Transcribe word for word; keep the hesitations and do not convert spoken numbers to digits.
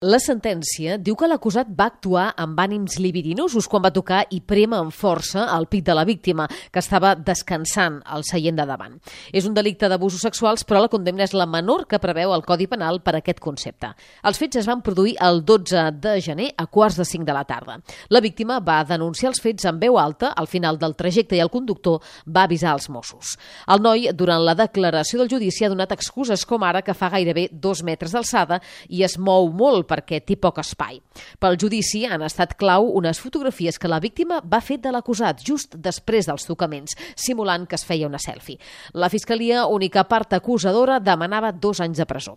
La sentència diu que l'acusat va actuar amb ànims libidinosos quan va tocar i prémer amb força el pit de la víctima, que estava descansant al seient de davant. És un delicte d'abusos sexuals, però la condemna és la menor que preveu el Codi Penal per aquest concepte. Els fets es van produir el dotze de gener a quarts de cinc de la tarda. La víctima va denunciar els fets en veu alta al final del trajecte i el conductor va avisar els Mossos. El noi, durant la declaració del judici, ha donat excuses com ara que fa gairebé dos metres d'alçada i es mou molt perquè té poc espai. Pel judici han estat clau unes fotografies que la víctima va fer de l'acusat just després dels tocaments, simulant que es feia una selfie. La Fiscalia, única part acusadora, demanava dos anys de presó.